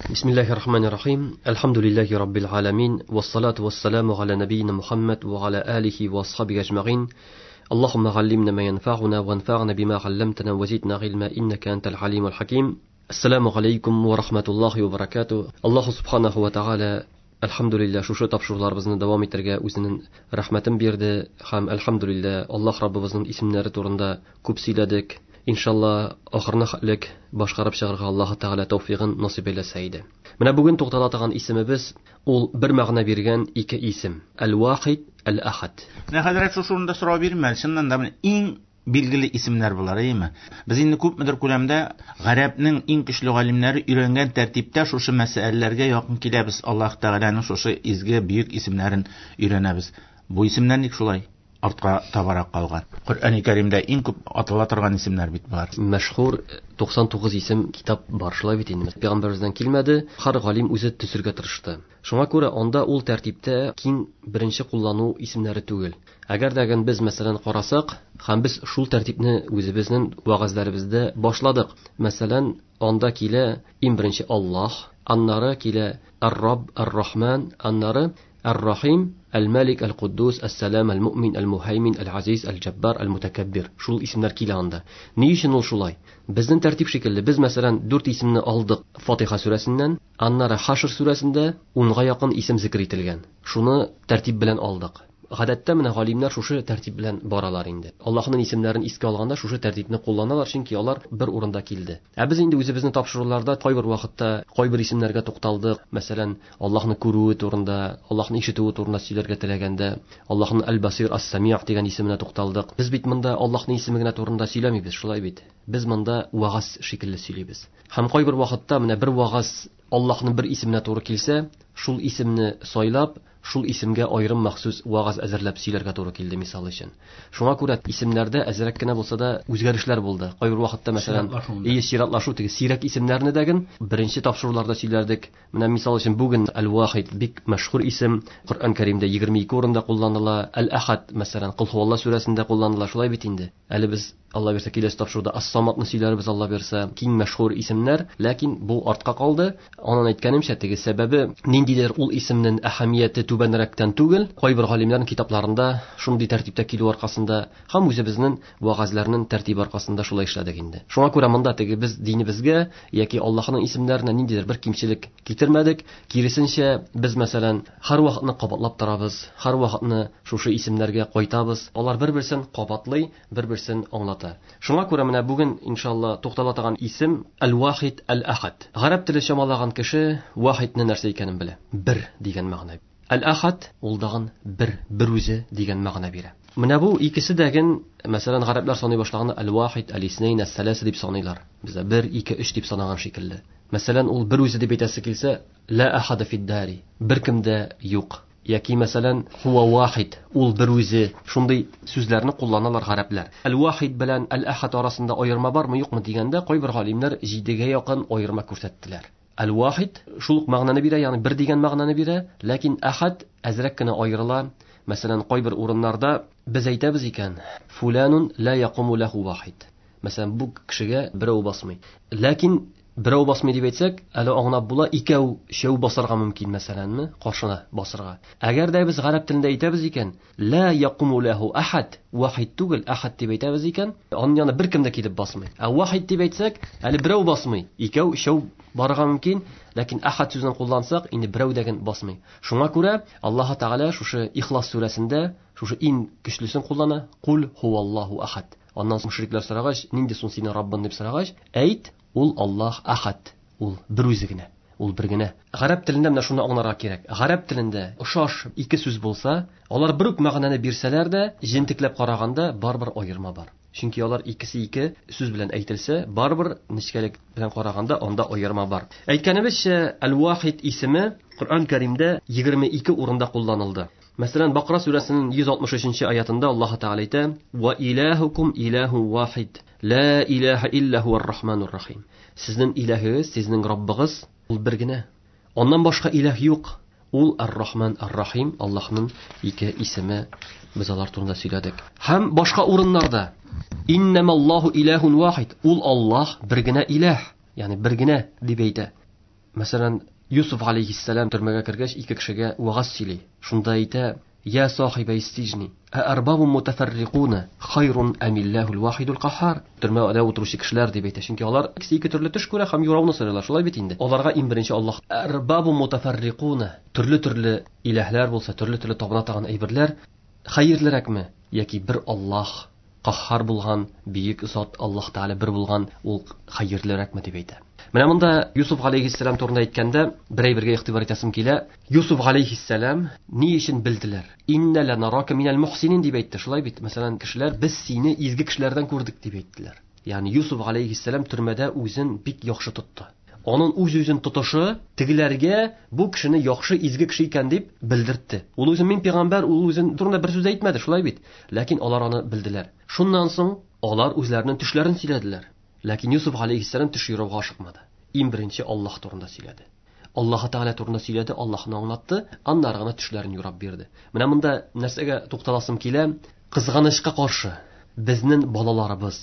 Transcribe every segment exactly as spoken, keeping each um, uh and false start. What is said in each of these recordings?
Бисмиллахир рахманир рахим. Әлхәмдүлилләһи раббил аламин. Вассалату вассаламу аля набийна Мухаммад ва аля алихи ва асхабихи ажмаин. Аллаһумма галлимна ма янфа'уна ванфa'на бима 'алламтана ва зидна гыйльма иннака антал алимул хаким. Ассаламу алейкум ва рахматуллахи ва баракатуh. Аллаһу субханаху ва тааля әлхәмдүлилләһ шушы тапшыруларыбызны дәвам итәргә үзенең рәхмәтен бирде һәм әлхәмдүлилләһ Аллаһ Раббыбызның исемнәре турында күп сөйләдек. Иншалла ахырына хәтлек башкарып чыгарга Аллаһ Тәгалә тәүфигын насыйп әйләсә иде. Менә бүген туктала торган исемебез ул бер мәгънә биргән ике исем. Әл-Вахид, Әл-Ахад. Менә хәзрәт шушы урында сорау бирмә, чыннан да менә иң билгеле исемнәр болар, әйеме? Без инде күпмедер күләмдә гарәпнең иң көчле галимнәре өйрәнгән тәртиптә шушы мәсьәләләргә якын киләбез. Аллаһ Тәгаләнең шушы изге бөек исемнәрен өйрәнәбез. Бу исемнәр ник шулай артка табарак калган? Коръәни Кәримдә иң күп атала торган исемнәр бит болар. Мәшһүр туксан тугыз исем китап бар, шулай бит инде. Пәйгамбәребездән килмәде, һәр галим үзе төзергә тырышты. Шуңа күрә анда ул тәртиптә киң беренче куллану исемнәре түгел. Әгәр дә без мәсәлән карасак, һәм без шул тәртипне үзебезнең вәгазьләребездә башладык. Мәсәлән, анда килә иң беренче Аллаһ, аннары килә Ар-Рабб, Ар-Рахман, аннары Ар-Рахим, Әл-Малик, Әл-Куддус, Әс-Салам, Әл-Му'мин, Әл-Мухаймин, Әл-Азиз, Әл-Джаббар, Әл-Мутакаббир. Шул исемнәр килә анда. Ни өчен ул шулай? Безнең тәртип шикелле, без мәсәлән дүрт исемне алдык Фатиха сүрәсеннән, аннары Хашр сүрәсендә унга якын исем зикр ителгән. Шуны тәртип белән алдык. Гадәттә менә галимнәр шушы тәртип белән баралар инде. Аллаһның исемнәрен искә алганда шушы тәртипне кулланалар, чөнки алар бер урында килде. Ә без инде үзебезнең тапшыруларда кайбер вакытта кайбер исемнәргә тукталдык. Мәсәлән, Аллаһны күрүе турында, Аллаһны ишетүе турында сөйләргә теләгәндә, Аллаһның Әл-Басир, Ас-Самиъ дигән исеменә тукталдык. Без бит монда Аллаһның исеме генә турында сөйләмибез, шулай бит. Без монда вагаз шикелле сөйлибез. Һәм кайбер вакытта менә бер вагаз Аллаһның бер исеменә туры килсә, шул исемне сайлап, шул исемгә аерым махсус вагаз әзерләп сөйләргә туры килде мисал өчен. Шуңа күрә исемнәрдә әзрәк кенә булса да үзгәрешләр булды. Кайбер вакытта мәсәлән, ие чиратлашу теге сирәк исемнәрне дәген беренче тапшыруларда сөйләрдек. Менә мисал өчен бүген Әл-Вахид бик мәшһүр исем, Коръән Кәримдә егерме ике урында кулланыла. Әл-Ахад мәсәлән, Кол һуалла сүрәсендә кулланыла, шулай бит инде. Әле без Алла бирсә киләсе тапшыруда Ас-Самадны сөйләрбез, Алла бирсә, киң мәшһүр исемнәр, ләкин бу артка калды. Аннан әйткәнемчә, теге сәбәбе ниндидер ул исемнең әһәмияте түбәнрәктән түгел, кайбер галимнәрнең китапларында шундый тәртиптә килү аркасында һәм үзебезнең вәгазьләрнең тәртибе аркасында шулай эшләдек инде. Шуңа күрә монда теге без динебезгә яки Аллаһның исемнәренә ниндидер бер кимчелек китермәдек. Киресенчә, без мәсәлән һәр вакытны кабатлап торабыз, һәр вакытны шушы исемнәргә кайтабыз. Алар бер-берсен кабатлый, бер-берсен аңлата. Шуңа күрә менә бүген иншалла туктала торган исем Әл-Вахид, Әл-Ахад. Гарәп теле чамалаган кеше Вахидны нәрсә икәнен белә. Бер дигән мәгънә. Әл-Ахад ул дагын бер, бер үзе дигән мәгънә бирә. Менә бу икесе дәген, мәсәлән, гарәпләр саный башлаганда Әл-Вахид, Әл-Иснәйн, Әс-Сәләсә дип саныйлар. Бездә бер, ике, өч дип санаган шикелле. Мәсәлән, ул бер үзе дип әйтәсе килсә, ла ахада фид-дари, беркем дә юк. Яки мәсәлән, хуа вахид, ул бер үзе. Шундый сүзләрне кулланалар гарәпләр. Әл-Вахид белән Әл-Ахад арасында аерма бармы, юкмы дигәндә, кайбер галимнәр җидегә якын аерма күрсәттеләр. Әл-Вахид шул ук мәгънәне бирә, ягъни бер дигән мәгънәне бирә, ләкин Ахад әзрәк кенә аерыла. Мәсәлән, кайбер урыннарда без әйтәбез икән, фуланун ла якуму лаху вахид. Мәсәлән, бу кешегә берәү басмый. Ләкин берәү басмый дип әйтсәк, әле аңлап була, икәү, өчәү басарга мөмкин, мәсәләнме, каршына басарга. Әгәр дә без гарәп телендә әйтәбез икән, ла якуму лаху ахад, вахид түгел, ахад дип әйтәбез икән, аның янына беркем дә килеп басмый. Ә вахид дип әйтсәк, әле берәү басмый, икәү, өчәү барырга мөмкин, ләкин ахад сүзен куллансак, инде берәү дә басмый. Шуңа күрә Аллаһ Тәгалә шушы Ихлас сүрәсендә шушы иң көчлесен куллана, кул хуаллаһу ахад. Аннан соң мөшрикләр сорагач, нинди соң синең Раббың дип сорагач, әйт, ул Аллаһ ахад, ул бер үзе генә, ул бер генә. Гарәп телендә менә шуны аңларга кирәк. Гарәп телендә ошаш ике сүз булса, алар бер үк мәгънәне бирсәләр дә, җентекләп караганда барыбер аерма бар. Чөнки алар икесе ике сүз белән әйтелсә, барыбер нечкәлек белән караганда анда аерма бар. Әйткәнебезчә, Әл-Вахид исеме Коръән Кәримдә егерме ике урында кулланылды. Мәсәлән, Бакара сүрәсенең йөз алтмыш өченче аятында Аллаһ Тәгалә әйтә: "Ва илаһукум илаһу вахид, ла илаһа илля хуар рахманур рахим." Сезнең илаһыгыз, сезнең Раббыгыз ул бер генә. Аннан башка илаһ юк. Ул Ар-Рахман, Ар-Рахим, Аллаһның ике исеме. Без алар турында сөйләдек. Һәм башка урыннарда Иннамаллаһу илаһун вахид. Ул Аллаһ бер генә илаһ, ягъни бер генә дип әйтә. Мәсәлән, Юсуф алейхиссалам төрмәгә кергәч ике кешегә вагаз сөйли. Шунда әйтә: "Я сахибай сиҗни, ә арбабун мутафаррикуна хайрун амиллахул вахидул кахар". Төрмәдә утыручы кешеләр дип әйтә. Чөнки алар икесе ике төрле төш күрә һәм юрауны сорыйлар. Шулай бит инде. Аларга иң беренче Аллаһ арбабун мутафаррикуна, төрле-төрле иләһләр булса, төрле-төрле табына торган әйберләр хәерлерәкме яки бер Аллаһ кахар булган, бөек зат Аллаһ Тәгалә бер булган, ул хәерлерәкме дип әйтә. Менә монда Юсуф алейхиссалам турында әйткәндә бер әйбергә игътибар итәсем килә. Юсуф алейхиссалам ни өчен белделәр? Инна ланарака минал мухсинин дип әйтте. Шулай бит. Мәсәлән, кешеләр без сине изге кешеләрдән күрдек дип әйттеләр. Ягъни Юсуф алейхиссалам төрмәдә үзен бик яхшы тотты. Аның үз-үзен тотышы тегеләргә бу кешене яхшы изге кеше икән дип белдертте. Ул үзен мин пәйгамбәр, ул үзен турында бер сүз әйтмәде, шулай бит. Ләкин алар аны белделәр. Шуннан соң алар үзләренең төшләрен сөйләделәр. Ләкин Юсуф алейхиссалам төш юрауга ашыкмады. Иң беренче Аллаһ турында сөйләде. Аллаһ Тәгалә турында сөйләде, Аллаһны аңлатты, аннары гына төшләрен юрап бирде. Менә монда нәрсәгә тукталасым килә? Кызганычка каршы, безнең балаларыбыз,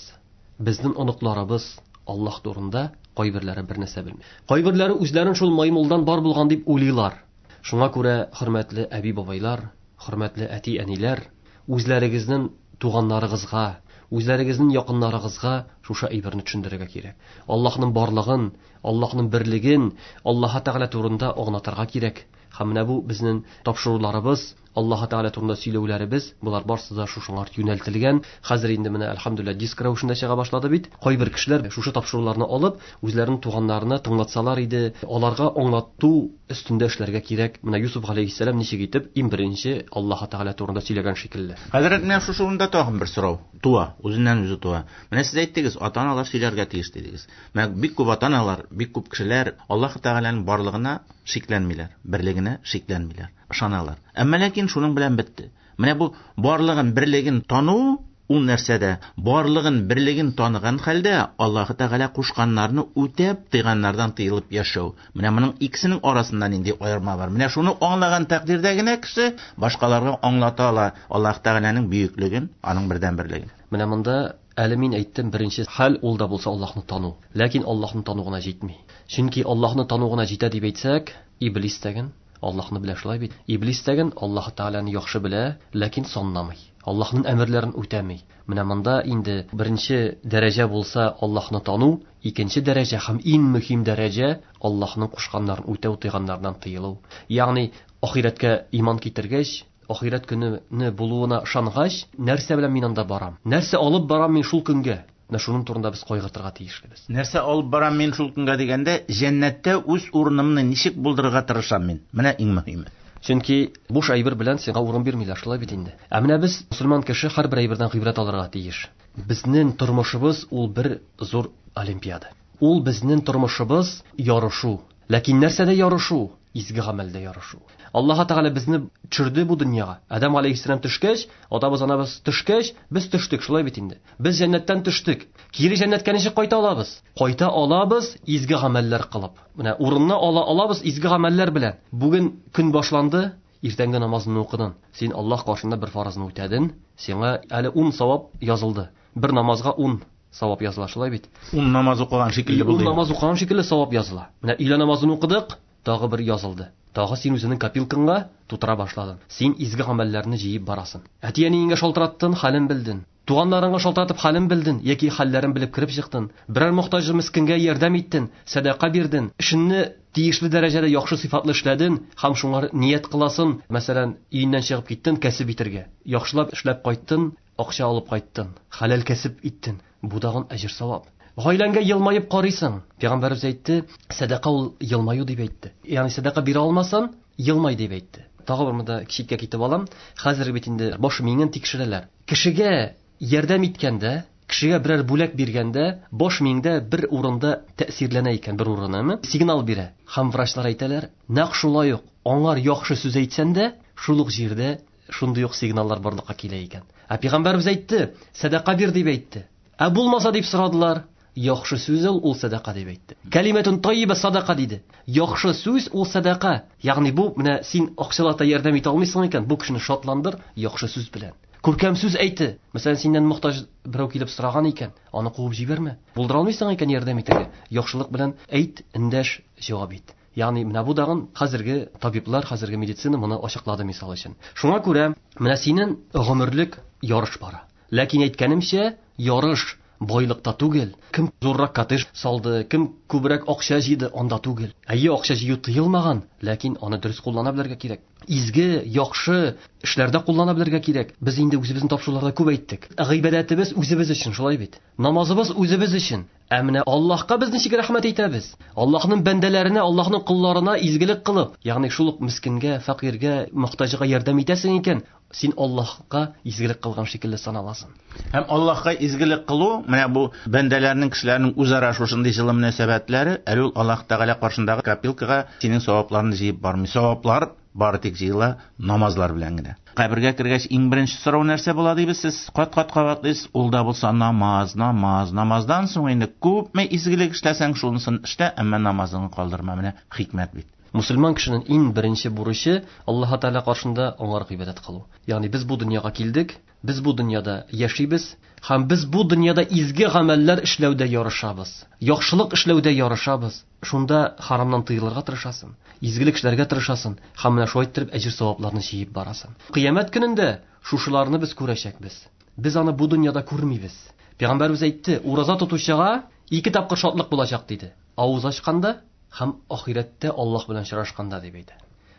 безнең оныкларыбыз Аллаһ турында кайберләре бер нәрсә белми. Кайберләре үзләрен шул маймылдан бар булган дип уйлыйлар. Шуңа күрә, хөрмәтле әби-бабайлар, хөрмәтле әти-әниләр, үзләрегезнең туганнарыгызга, үзләрегезнең якыннарыгызга шушы әйберне төшендерергә кирәк. Аллаһның барлыгын, Аллаһның берлеген, Аллаһ Тәгалә турында аңлатырга кирәк. Һәм менә бу безнең тапшыруларыбыз, Аллаһ Тәгалә турында сөйләүләребез, болар барысы да шушыңа юнәлтелгән. Хәзер инде менә әлхәмдүлилләһ диск рәвешендә чыга башлады бит. Кайбер кешеләр шушы тапшыруларны алып, үзләренең туганнарына тыңлатсалар иде, аларга аңлату өстендә эшләргә кирәк. Менә Юсуф алейхиссалам ничек итеп иң беренче Аллаһ Тәгалә турында сөйләгән шикелле. Хәзрәт, менә шушы урында тагын бер сорау туа, үзеннән үзе туа. Менә сез әйттегез, ата-аналар сөйләргә тиеш дидегез. Менә бик күп ата-аналар, бик күп кешеләр Аллаһ Тәгаләнең барлыгына шикләнмиләр, берлегенә шикләнмиләр, ышаналар. Әмма ләкин шуның белән бетте. Менә бу барлыгын, берлеген тану ул нәрсәдә? Барлыгын, берлеген таныган хәлдә Аллаһ Тәгалә кушканнарны үтәп, тыйганнардан тыелып яшәү. Менә моның икесенең арасында нинди аерма бар? Менә шуны аңлаган тәкъдирдә генә кеше башкаларга аңлата ала Аллаһ Тәгаләнең бөеклеген, аның бердәнберлеген. Менә монда әле мин әйттем, беренче хәл ул да булса Аллаһны тану. Ләкин Аллаһны тану гына җитми. Чөнки Аллаһны тану гына җитә дип әйтсәк, Иблис тәген Аллаһны белә, шулай бит. Иблис тәген Аллаһ Тәгаләне яхшы белә, ләкин санламый. Аллаһның әмерләрен үтәми. Менә монда инде беренче дәрәҗә булса Аллаһны тану, икенче дәрәҗә һәм иң мөһим дәрәҗә Аллаһның кушканнарын үтәү, тыйганнардан тыелу. Ягъни ахирәткә иман китергәч, ахирәт көненә булуына ышангач, нәрсә белән мин анда барам? Нәрсә алып барам мин шул көнгә? Менә шуның турында без кайгыртырга тиешлебез. Нәрсә алып барам мин шул көнгә дигәндә, җәннәттә үз урынымны ничек булдырырга тырышам мин? Менә иң мөһиме. Чөнки буш әйбер белән сиңа урын бирмиләр, шулай бит инде. Ә менә без мөселман кеше һәрбер әйбердән гыйбрәт алырга тиеш. Безнең тормышыбыз ул бер зур олимпиада. Ул безнең тормышыбыз ярышу. Ләкин нәрсәдә ярышу? Изге гамәлдә ярышу. Аллаһ Тәгалә безне төшерде бу дөньяга. Адам алейхиссалам төшкәч, атабыз, анабыз төшкәч, без төштек, шулай бит инде. Без җәннәттән төштек. Кире җәннәткә ничек кайта алабыз? Кайта алабыз изге гамәлләр кылып. Менә урынны ала алабыз изге гамәлләр белән. Бүген көн башланды, иртәнге намазны укыдың. Син Аллаһ каршында бер фарызны үтәдең, сиңа әле ун савап язылды. Бер намазга ун савап языла, шулай бит. Ун намаз укыган шикелле булды. Ун намаз укыган шикелле савап языла. Менә өйлә намазын укыдык, тагы бер язылды. Тагы син үзеңнең копилкаңа тутыра башладың. Син изге гамәлләрне җыеп барасың. Әти-әниеңә шалтыраттың, хәлен белдең. Туганнарыңа шалтыратып хәлен белдең яки хәлләрен белеп кереп чыктың. Берәр мохтаҗ мискингә ярдәм иттең, сәдака бирдең. Эшеңне тиешле дәрәҗәдә яхшы сыйфатлы эшләдең һәм шуңа ният кыласың. Мәсәлән, өеннән чыгып киттең кәсеп итәргә. Яхшылап эшләп кайттың, акча алып кайттың, хәләл кәсеп иттең. Бу тагын әҗер савап. Гаиләңгә елмаеп карыйсың. Пәйгамбәребез әйтте, сәдака ул елмаю дип әйтте. Ягъни сәдака бирә алмасаң, елмай дип әйтте. Тагы бер монда читкә китеп алам. Хәзер бит инде баш миңен тикшерәләр. Кешегә ярдәм иткәндә, кешегә берәр бүләк биргәндә, баш миңдә бер урында тәэсирләнә икән, бер урынымы? Сигнал бирә. Һәм врачлар әйтәләр, нәкъ шулай ук аңар яхшы сүз әйтсәң дә, шул ук җирдә шундый ук сигналлар барлыкка килә икән. Ә пәйгамбәребез әйтте, сәдака бир дип әйтте. Ә булмаса дип сорадылар. Яхшы сүз ул, ул сәдака дип әйтте. Калиматун тайиба садака диде. Яхшы сүз ул сәдака. Ягъни бу менә син акчалата ярдәм итә алмыйсың икән, бу кешене шатландыр яхшы сүз белән. Күркәм сүз әйтте. Мәсәлән, синнән мохтаҗ берәү килеп сораган икән, аны куып җибәрмә. Булдыра алмыйсың икән ярдәм итәргә, яхшылык белән әйт, эндәш, җавап ит. Ягъни менә бу дагын хәзерге табиблар, хәзерге медицина моны ачыклады мисал өчен. Шуңа күрә менә синең гомерлек ярыш бара. Ләкин әйткәнемчә, ярыш байлыкта түгел. Кем зуррак коттедж салды, кем күбрәк акча җыйды, анда түгел. Әйе, акча җыю тыелмаган, ләкин аны дөрес куллана белергә кирәк. Изге, яхшы эшләрдә куллана белергә кирәк. Без инде үзебезнең тапшыруларда күп әйттек. Гыйбадәтебез үзебез өчен, шулай бит. Намазыбыз үзебез өчен. Ә менә Аллаһка без ничек рәхмәт әйтәбез? Аллаһның бәндәләренә, Аллаһның колларына изгелек кылып, ягъни шул ук мискингә, фәкыйрьгә, мохтаҗга ярдәм итәсең икән, син Аллаһка изгелек кылган шикелле саналасың. Һәм Аллаһка изгелек кылу, менә бу бәндәләрнең, кешеләрнең үзара шушындый җылы мөнәсәбәтләре, әле ул Аллаһ Тәгалә каршындагы копилкага синең савапларны җыеп бармый. Саваплар бары тик җыела намазлар белән генә. Кабергә кергәч иң беренче сорау нәрсә була дибез, сез кат-кат кабатлыйсыз, ул да булса намаз, намаз, намаздан соң инде күпме изгелек эшләсәң, шунысын эшлә, әмма намазыңны калдырма. Менә хикмәт бит. Мусульман кешенең иң беренче бурычы Аллаһ Тәгалә каршында аңар гыйбадәт кылу. Ягъни без бу дөньяга килдек, без бу дөньяда яшибез һәм без бу дөньяда изге гамәлләр эшләүдә ярышабыз, яхшылык эшләүдә ярышабыз. Шунда харамнан тыелырга тырышасың, изгелек эшләргә тырышасың һәм менә шулай итеп әҗер савапларны җыеп барасың. Кыямәт көнендә шушыларны без күрәчәкбез. Без аны бу дөньяда күрмибез. Пәйгамбәребез әйтте, ураза тотучыга ике тапкыр шатлык булачак диде. Авыз ачканда һәм ахирәттә Аллаһ белән очрашканда дип әйтә.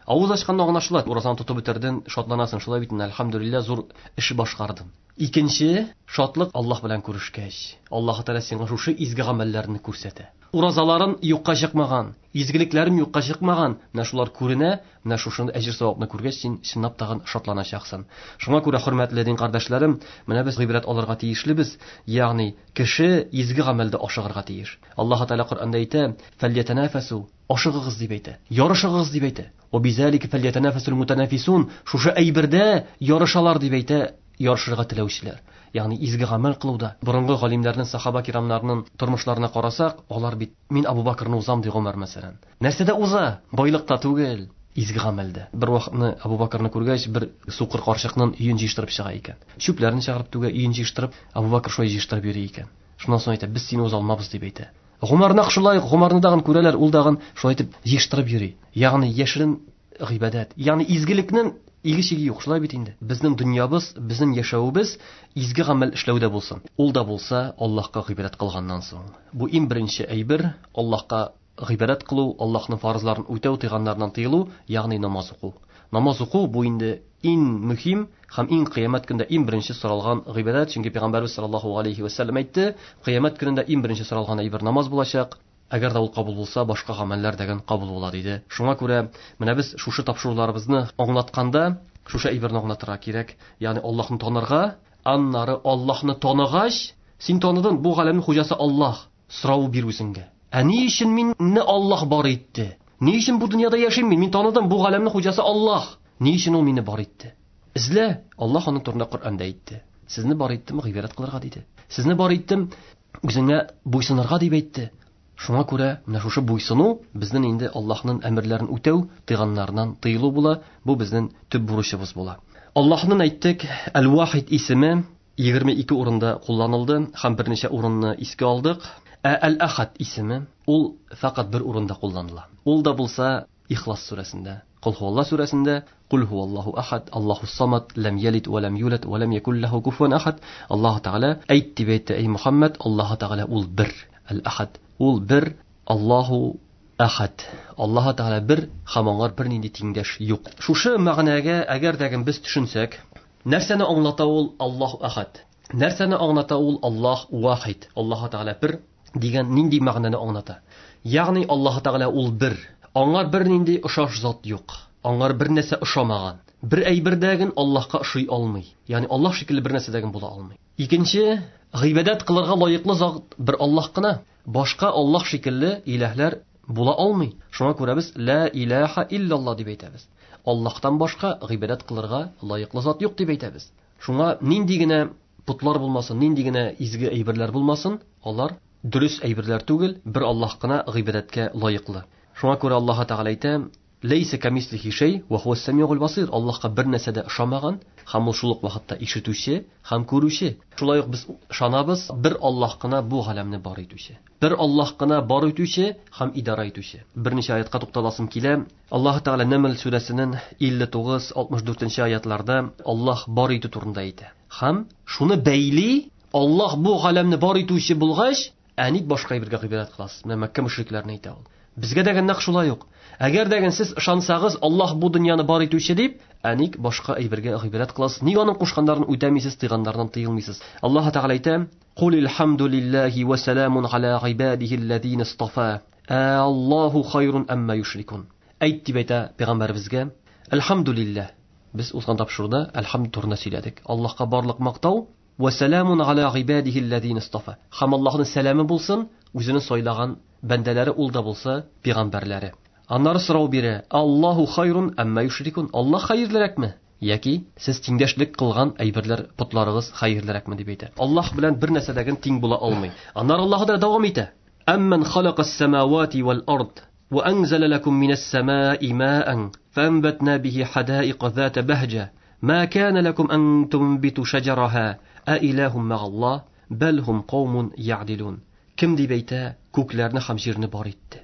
Авыз ачканда аңлашыла, уразаны тотып бетердең, шатланасың, шулай бит, әлхәмдүлилләһ, зур эш башкардың. Икенче шатлык Аллаһ белән күрешкәч, Аллаһ Тәгалә сиңа шушы изге гамәлләрне күрсәтә. Уразаларын юкка чыкмаган, изгелекләрем юкка чыкмаган, менә шулар күренә, менә шушы әҗер савапны күргәч, син чынлап тагын шатланачаксың. Шуңа күрә, хөрмәтле дин кардәшләрем, менә без гыйбрәт алырга тиешлебез, ягъни кеше изге гамәлдә ашыгырга тиеш. Аллаһ Тәгалә Коръәндә әйтә: "Фәльятанафасу", ашыгыгыз дип әйтә, ярышыгыз дип әйтә. "Ва бизалика фәльятанафасул мутанафисун", шушы әйбердә ярышалар дип әйтә ярышырга теләүчеләр. Ягъни изге гамәл кылуда. Борынгы галимнәрнең, сахаба кирамнарның тормышларына карасак, алар бит мин Абу Бакрны узам ди Гомәр мәсәлән. Нәрсәдә уза? Байлыкта түгел, изге гамәлдә. Бер вакытны Абу Бакрны күргәч, бер сукыр карчыкның өен җыештырып чыга икән. Чүпләрен чыгарып түгә, өен җыештырып, Абу Бакр шулай җыештырып йөри икән. Шуннан соң әйтә, без сине уза алмабыз дип әйтә. Гомәр нәкъ шулай, Гомәрне дагын күрәләр, ул дагын шулай итеп җыештырып йөри. Ягъни яшерен гыйбадәт, ягъни изгелекнең иге чиге юк, шулай бит инде. Безнең дөньябыз, безнең яшәвебез изге гамәл эшләүдә булсын. Ул да булса Аллаһка гыйбадәт кылганнан соң. Бу иң беренче әйбер Аллаһка гыйбадәт кылу, Аллаһның фарызларын үтәү, тыйганнарыннан тыелу, ягъни намаз уку. Намаз уку бу инде иң мөһим һәм иң кыямәт көндә иң беренче соралган гыйбадәт, чөнки Пәйгамбәрбез саллаллаһу алейхи ва сәлләм әйтте, кыямәт көнендә иң беренче соралган әйбер намаз булачак. Әгәр дә ул кабул булса, башка гамәлләр дәген кабул була диде. Шуңа күрә менә без шушы тапшыруларыбызны аңлатканда, шушы әйберне аңлатырга кирәк. Ягъни Аллаһны танырга, аннары Аллаһны таныгач, син таныдың, бу галәмнең хуҗасы Аллаһ. Сорау бир үзеңгә. Ә ни өчен мине Аллаһ бар итте? Ни өчен бу дөньяда яшим мин? Мин таныдым, бу галәмнең хуҗасы Аллаһ. Ни өчен ул мине бар итте? Эзлә, Аллаһ аның турында Коръәндә әйтте. Сезне бар иттем гыйбадәт кылырга диде. Сезне бар иттем үзеңә буйсынырга дип әйтте. Шуңа күрә менә шушы буйсыну безнең инде Аллаһның әмерләрен үтәү, тыйганнарыннан тыелу була. Бу безнең төп бурычыбыз була. Аллаһның әйттек, Әл-Вахид исеме егерме ике урында кулланылды һәм берничә урынны искә алдык. Ә Әл-Ахад исеме ул фәкать бер урында кулланыла. Ул да булса Ихлас сүрәсендә, Кул һуалла сүрәсендә, Кул һуаллаһу ахад, Аллаһу самад, лам ялид ва лам юлад ва лам якул лаху куфуан ахад. Аллаһ Тәгалә әйт дип әйтте, эй Мухаммад, Аллаһ Тәгалә ул бер, Әл-Ахад. Ул бер, Аллаһу ахад. Аллаһ Тәгалә бер һәм аңар бернинди тиңдәш юк. Шушы мәгънәгә әгәр дә без төшенсәк, нәрсәне аңлата ул Аллаһу ахад? Нәрсәне аңлата ул Аллаһ вахид? Аллаһ Тәгалә бер дигән нинди мәгънәне аңлата? Ягъни Аллаһ Тәгалә ул бер. Аңар бернинди ошаш зат юк. Аңар бер нәрсә ошамаган. Бер әйбердәген Аллаһка ошый алмый. Ягъни Аллаһ шикелле бер нәрсәдәген була алмый. Икенче, гыйбадәт кылырга лаеклы зат бер Аллаһ кына. Башка Аллаһ шикелле иләһләр була алмый. Шуңа күрә без ла илаһа иллаллаһ дип әйтәбез. Аллаһтан башка гыйбадәт кылырга лаеклы зат юк дип әйтәбез. Шуңа нинди генә путлар булмасын, нинди генә изге әйберләр булмасын, алар дөрес әйберләр түгел, бер Аллаһ кына гыйбадәткә лаеклы. Шуңа күрә Аллаһ Тәгалә әйтә: Ләйсә камислихи шәй ва хуас самиул басир. Аллаһка бер нәрсә дә ошамаган, һәм ул шул ук вакытта ишетүче һәм күрүче. Шулай ук без ышанабыз, бер Аллаһ кына бу галәмне бар итүче. Бер Аллаһ кына бар итүче һәм идара итүче. Берничә аятка тукталасым килә. Аллаһ Тәгалә Нәмл сүрәсенең илле тугыз, алтмыш дүртенче аятларда Аллаһ бар итү турында әйтә. Һәм шуны бәйли, Аллаһ бу галәмне бар итүче булгач, ә ник башка әйбергә гыйбадәт кыласыз? Менә Мәккә мөшрикләренә әйтә ул. Безгә дә нәкъ шулай ук. Әгәр дә сез ышансагыз, Аллаһ бу дөньяны бар итүче дип, ә ник башка әйбергә гыйбадәт кыласыз? Ник аның кушканнарын үтәмисез, тыйганнарыннан тыелмыйсыз? Аллаһ Тәгалә әйтә: "Кул илхамдулиллаһи ва саламун аля гыйбадихи аллазина истафа. Аллаһу хайрун амма юшрикун." Әйт дип әйтә пәйгамбәребезгә: "Әлхамдулиллаһ." Без узган тапшыруда әлхамд турында сөйләдек. Аллаһка барлык мактау, ва саламун аля гыйбадихи аллазина истафа. Һәм Аллаһның сәламе булсын, үзенең сайлаган бәндәләре ул да булса пәйгамбәрләре. Аннары сорау бирә: Аллаһу хайрун амма юшрикун. Аллаһ хәерлерәкме? Яки сез тиңдәшлек кылган әйберләр, потларыгыз хәерлерәкме дип әйтә. Аллаһ белән бер нәрсәдәген тиң була алмый. Аннары Аллаһ да дәвам итә. Амман халакас самавати вал ард ва анзала лакум минас самаи маан фанбатна бихи хадаика зата бахҗа ма кана лакум ан тунбиту шаҗараха а илахум ма'аллаһ бал хум каумун я'дилун. Кем дип әйтә, күкләрне һәм җирне бар итте.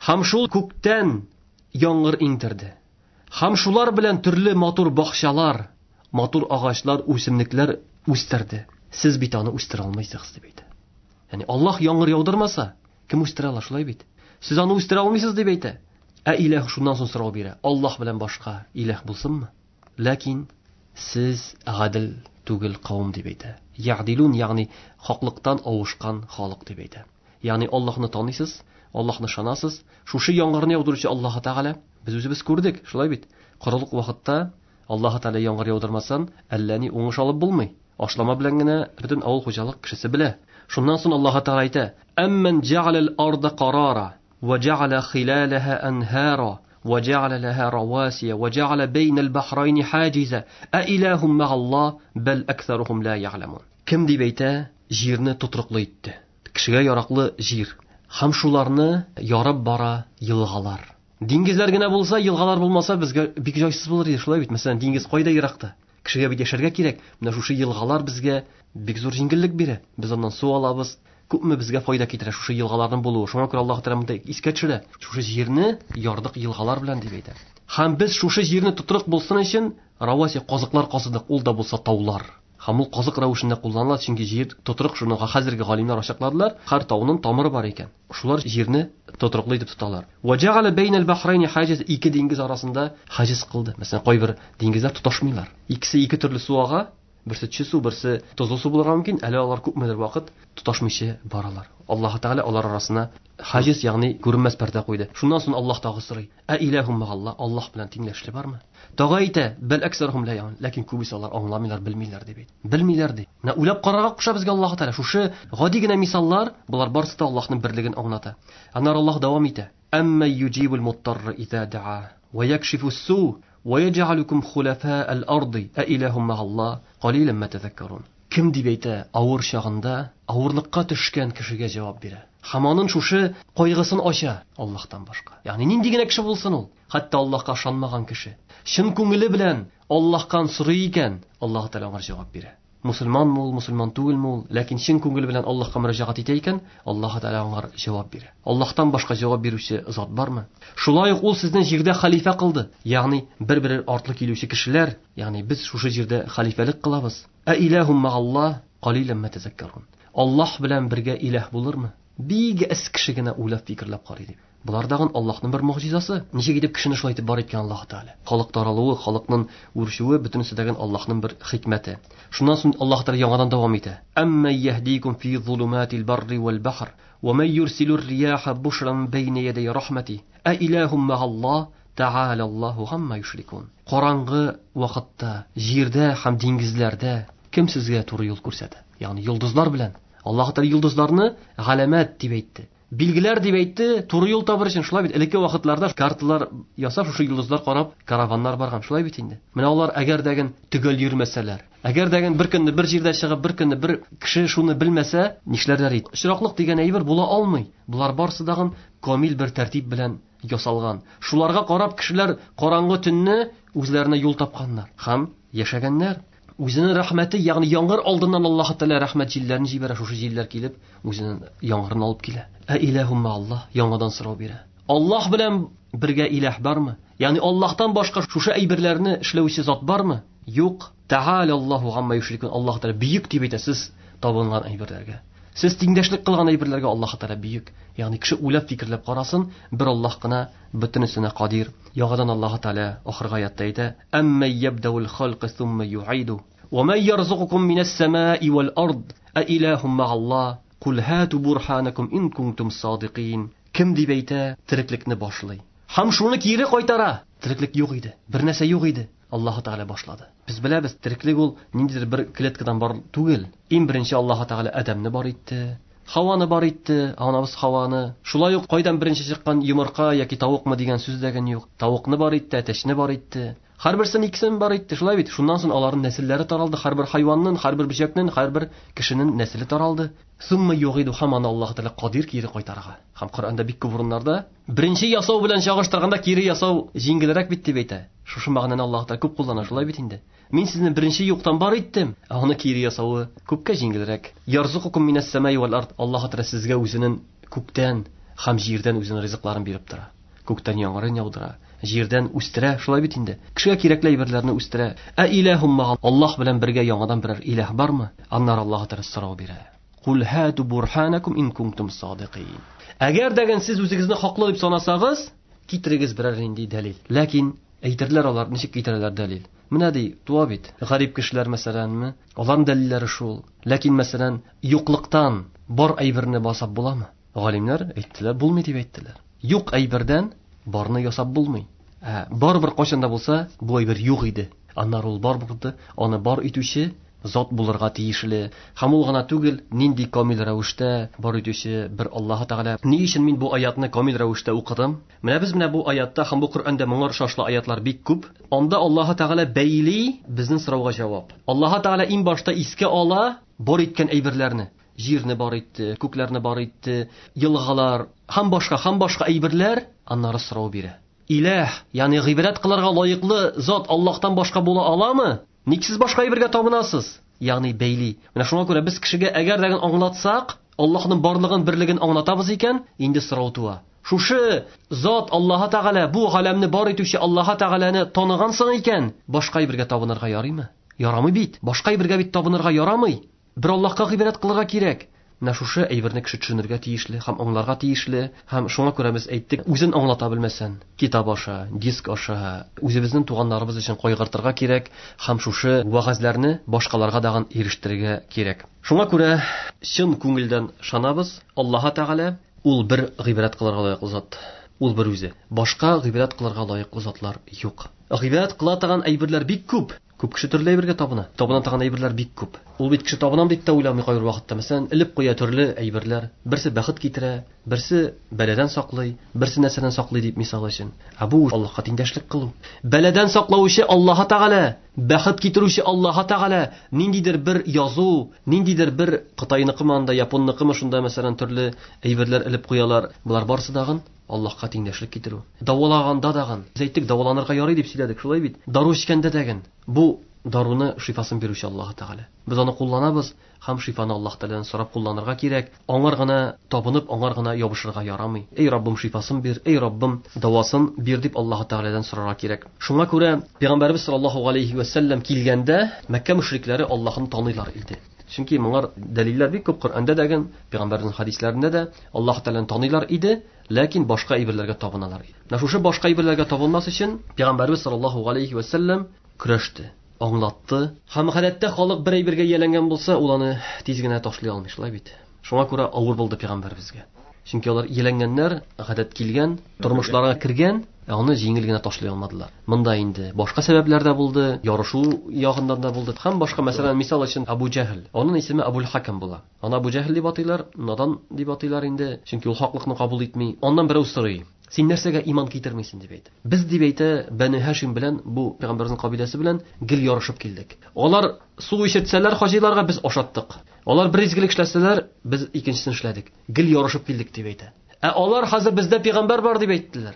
Һәм шул күктән яңгыр иңдерде. Һәм шулар белән төрле матур бакчалар, матур агачлар, үсемлекләр үстерде. Сез бит аны үстерә алмыйсыз дип әйтә. Ягъни Аллаһ яңгыр яудырмаса, кем үстерә ала, шулай бит? Сез аны үстерә алмыйсыз дип әйтә. Ә илаһ шуннан соң сорау бирә. Аллаһ белән башка илаһ булсынмы? Ләкин сез гадел түгел кавым дип әйтә. Ягъдилун, ягъни хаклыктан авышкан халык дип әйтә. Ягъни Аллаһны таныйсыз, Аллаһны ышанасыз. Шушы яңгырны яудыручы Аллаһ Тәгалә, без үзебез күрдек, шулай бит? Корылык вакытта Аллаһ Тәгалә яңгыр яудырмасан, әллә ни уңыш алып булмый. Ашлама белән генә бөтен авыл хуҗалык кешесе белә. Шуннан соң Аллаһ Тәгалә әйтә: "Амман җәгъалал арда қарара ва җәгъала хилалаһа анһара ва җәгъала лаһа равасия ва җәгъала бәйнәл бахрайни хаҗиза а илахум ма'аллаһ бал аксарухум ла я'ламун." Кем дип әйтә, җирне тотрыклы итте. Кешегә яраклы җир. Һәм шуларны ярып бара елгалар. Диңгезләр генә булса, елгалар булмаса, безгә бик җайсыз булыр иде, шулай бит? Мәсәлән, диңгез кайда еракта? Кешегә бит яшәргә кирәк. Менә шушы елгалар безгә бик зур җиңеллек бирә. Без аннан су алабыз. Күпме безгә файда китерә шушы елгаларның булуы. Шуңа күрә Аллаһ Тәгалә монда искә төшерә. Шушы җирне ярдык елгалар белән дип әйтә. Һәм без шушы җирне тотрык булсын өчен раваси казыклар казыдык, ул да булса таулар. Һәм ул казык рәвешендә кулланыла, чөнки җир тотрык, шуны хәзерге галимнәр ачыкладылар. Һәр тауның тамыры бар икән. Шулар җирне тотрыклы итеп тоталар. Ва җәгъала бәйнәл бахрайни хаҗиз, ике диңгез арасында хаҗиз кылды. Мәсәлән, кайбер диңгезләр тоташмыйлар. Икесе ике төрле су ага, берсе төче су, берсе тозлы су булырга мөмкин. Әле алар күпмедер вакыт тоташмыйча баралар. Аллаһ Тәгалә алар арасына хаҗиз, ягъни күренмәс пәрдә куйды. Шуннан соң Аллаһ тагы сорый: "Ә илахум ма'аллаһ, Аллаһ белән тиңләшле бармы?" Тагы әйтә: "Бал аксарухум ла я'ламун." Ләкин күбесе алар аңламыйлар, белмиләр дип әйтә. Белмиләр ди. Менә уйлап карарга куша безгә Аллаһ Тәгалә. Шушы гади генә мисаллар, болар барысы да Аллаһның берлеген аңлата. Аннары Аллаһ дәвам итә: "Әмма юҗибул муттарра иза да'a ва якшифус су ва яҗ'алукум хулафа'ал арди а илахум ма'аллаһ қалилан ма тазаккарун." Кем дип әйтә, авыр чагында авырлыкка төшкән кешегә җавап бирә. Һәм аның шушы кайгысын ача Аллаһтан башка. Ягъни нинди генә кеше булсын ул, хәтта Аллаһка ышанмаган кеше, чын күңеле белән Аллаһтан сорый икән, Аллаһ Тәгалә аңа җавап бирә. Мусульманмы ул, мусульман түгелме ул, ләкин чын күңеле белән Аллаһка мөрәҗәгать итә икән, Аллаһ Тәгалә аңа җавап бирә. Аллаһтан башка җавап бирүче зат бармы? Шулай ук ул сезне җирдә хәлифә кылды. Ягъни бер-бер артлы килүче кешеләр, ягъни без шушы җирдә хәлифәлек кылабыз. Ә илахум ма'аллаһ қалилан ма тазаккарун. Аллаһ белән бергә илаһ булырмы? Бик әз кеше генә уйлап фикерләп карый дип. Булар дагын Аллаһның бер мөгъҗизасы. Ничек итеп кешене шулай итеп бар иткән Аллаһ Тәгалә. Халык таралуы, халыкның үрчүе, бөтенесе дәген Аллаһның бер хикмәте. Шуннан соң Аллаһ Тәгалә яңадан дәвам итә. Әмма яһдикум фи зулуматил барри вал бахр ва ман юрсилур рияха бушран бәйнә ядай рахмати. А илахум ма'аллаһ та'ала Аллаһу гамма юшрикун. Караңгы вакытта җирдә һәм диңгезләрдә кем сезгә туры юл күрсәтә? Ягъни йолдызлар белән. Аллаһ Тәгалә йолдызларны галәмәт дип әйтте. Билгеләр дип әйтте, туры юл табыр өчен. Шулай бит, элекке вакытларда карталар ясап, шушы йолдызлар карап, караваннар барган. Шулай бит инде. Менә алар әгәр дәген төгәл йөрмәсәләр, Әгәр дә бер көнне бер җирдә чыгып, бер көнне бер кеше шуны белмәсә, нишләрләр иде? Очраклык дигән әйбер була алмый. Булар барсы дагын камил бер тәртип белән ясалган. Шуларга карап кешеләр караңгы төнне үзләренә юл тапканнар һәм яшәгәннәр. Үзенең рәхмәте, ягъни яңгыр алдыннан Аллаһ Тәгалә рәхмәт җилләрен җибәрә, шушы җилләр килеп, үзенең яңгырын алып килә. Ә илаһум Аллаһ яңадан сорау бирә. Аллаһ белән бергә илаһ бармы? Ягъни Аллаһтан башка шушы әйберләрне эшләүче зат бармы? Юк. Тәгалә Аллаһу гамма юшрикун. Аллаһ Тәгалә бөек дип әйтә сез табынган әйберләргә. Сез тиңдәшлек кылган әйберләргә Аллаһ Тәгалә бөек. Ягъни кеше уйлап фикерләп карасын, бер Аллаһ кына бөтенесенә кадир. Яңадан Аллаһ Тәгалә ахыргы аятта әйтә: "Әмма ябдаул халqa thumma yu'idu ва ман ярзукукум минас самаи вал ард а илахум ма'аллах кул хату бурханакум ин кунтум садикин". Кем дип әйтә, тереклекне башлый. Һәм шуны кире кайтара. Тереклек юк иде, бер нәрсә юк иде. Аллаһ Тәгалә башлады. Без беләбез, тереклек ул ниндидер бер клеткадан бар түгел. Иң беренче Аллаһ Тәгалә Адәмне бар итте, Хаваны бар итте, анабыз Хаваны. Шулай ук кайдан беренче чыккан йомырка яки тавыкмы дигән сүз дә юк. Тавыкны бар итте, әтәчне бар итте. Һәрберсен икесен бар итте, шулай бит. Шуннан соң аларның нәселләре таралды. Һәрбер хайванның, һәрбер бөҗәкнең, һәрбер кешенең нәселе таралды. Сумма югиду һәм аны Аллаһ Тәгалә кадир кире кайтарырга. Һәм Коръәндә бик күп урыннарда беренче ясау белән чагыштырганда кире ясау җиңелрәк бит дип әйтә. Шушы мәгънәне Аллаһ Тәгалә күп куллана, шулай бит инде. Мин сезне беренче юктан бар иттем, ә аны кире ясавы күпкә җиңелрәк. Ярзукукум минас самаи вал ард. Аллаһ Тәгалә сезгә үзенең күктән һәм җирдән үзенең ризыкларын биреп тора. Күктән яңгырын яудыра, җирдән үстерә, шулай бит инде. Кешегә кирәкле әйберләрне үстерә. Ә илаһум ма Аллаһ белән бергә яңадан берәр илаһ бармы? Аннары Аллаһ Тәгалә сорау бирә. Кул хату бурханакум ин кунтум садикин. Әгәр дә сез үзегезне хаклы дип санасагыз, китерегез берәр нинди дәлил. Ләкин әйтерләр алар, ничек китерәләр дәлил? Менә ди, туа бит. Гарип кешеләр мәсәләнме? Аларның дәлилләре шул. Ләкин мәсәлән, юклыктан бар әйберне басап буламы? Галимнәр әйттеләр, булмый дип әйттеләр. Юк әйбердән барны ясап булмый. Ә барыбер кайчан да булса, бу әйбер юк иде. Аннары ул бар булды, аны бар итүче зат булырга тиешле. Һәм ул гына түгел, нинди камил рәвештә бар итүче бер Аллаһ Тәгалә. Ни өчен мин бу аятны камил рәвештә укыдым? Менә без менә бу аятта һәм бу Коръәндә моңа охшашлы аятлар бик күп. Анда Аллаһ Тәгалә бәйли безнең сорауга җавап. Аллаһ Тәгалә иң башта искә ала бар иткән әйберләрне. Җирне бар итте, күкләрне бар итте, елгалар һәм башка һәм башка әйберләр, аннары сорау бирә. Илаһ, ягъни гыйбадәт кылырга лаеклы зат Аллаһтан башка була аламы? Ник сез башка әйбергә табынасыз? Ягъни бәйли. Менә шуңа күрә без кешегә әгәр дә аңлатсак, Аллаһның барлыгын, берлеген аңлатабыз икән, инде сорау туа. Шушы зат Аллаһ Тәгалә, бу галәмне бар итүче Аллаһ Тәгаләне таныгансың икән, башка әйбергә табынырга ярыймы? Ярамый бит. Башка әйбергә бит табынырга ярамый. Бер Аллаһка гыйбадәт кылырга кирәк. Менә шушы әйберне кеше төшенергә тиешле һәм аңларга тиешле. Һәм шуңа күрә без әйттек, үзен аңлата белмәсән, китап аша, диск аша, үзебезнең туганнарыбыз өчен кайгыртырга кирәк һәм шушы вәгазьләрне башкаларга дагын ирештерергә кирәк. Шуңа күрә чын күңелдән ышанабыз, Аллаһ Тәгалә ул бер гыйбадәт кылырга лаеклы зат. Ул бер үзе. Башка гыйбадәт кылырга лаеклы затлар юк. Гыйбадәт кыла торган әйберләр бик күп. Күп кеше төрле әйбергә табына. Табына торган әйберләр бик күп. Ул бит кеше табынам дип тә уйламый кайбер вакытта. Мәсәлән, элеп куя төрле әйберләр. Берсе бәхет китерә, берсе бәладән саклый, берсе нәрсәдән саклый дип мисал өчен. Ә бу Аллаһка тиңдәшлек кылу. Бәладән саклаучы Аллаһ Тәгалә, бәхет китерүче Аллаһ Тәгалә, ниндидер бер язу, ниндидер бер Кытайныкымы анда, японныкымы шунда мәсәлән төрле әйберләр элеп куялар. Булар барысы дагын Аллаһка тиңдәшлек китерү. Давалаганда дагын, без әйттек, даваланырга ярый дип сөйләдек, шулай бит. Дару эчкәндә дәген, бу даруны шифасын бирүче Аллаһ Тәгалә. Без аны кулланабыз һәм шифаны Аллаһ Тәгаләдән сорап кулланырга кирәк. Аңар гына табынып, аңар гына ябышырга ярамый. Эй Раббым, шифасын бир, эй Раббым, давасын бир дип Аллаһ Тәгаләдән сорарга кирәк. Шуңа күрә Пәйгамбәрбез саллаллаһу алейхи ва сәлләм килгәндә Мәккә мөшрикләре Аллаһны таныйлар иде. Чөнки моңар дәлилләр бик күп Коръәндә дә, Пәйгамбәрнең хәдисләрендә дә Аллаһ Тәгаләне таныйлар иде, ләкин башка әйберләргә табыналар иде. Менә шушы башка әйберләргә табынмас өчен Пәйгамбәрбез саллаллаһу алейхи ва сәлләм көрәште, аңлатты. Һәм гадәттә халык бер әйбергә ияләнгән булса, ул аны тиз генә ташлый алмый, шулай бит. Шуңа күрә авыр булды Пәйгамбәрбезгә. Чөнки алар ияләнгәннәр, гадәт килгән, тормышларга кергән, ә аны җиңел генә ташлый алмадылар. Монда инде башка сәбәпләр дә булды, ярышу ягыннан да булды. Һәм башка, мәсәлән, мисал өчен Абу Җәһел. Аның исеме Абул Хакам була. Аны Абу Җәһел дип атыйлар, надан дип атыйлар инде, чөнки ул хаклыкны кабул итми. Аннан берәү сорый: Син нәрсәгә иман китермисең дип әйтә. Без дип әйтә, Бәни Һашим белән бу пәйгамбәрнең кабиләсе белән гел ярышып килдек. Алар су эчертсәләр хаҗиларга без ашаттык. Алар бер изгелек эшләсәләр, без икенчесен эшләдек. Гел ярышып килдек дип әйтә. Ә алар хәзер бездә пәйгамбәр бар дип әйттеләр.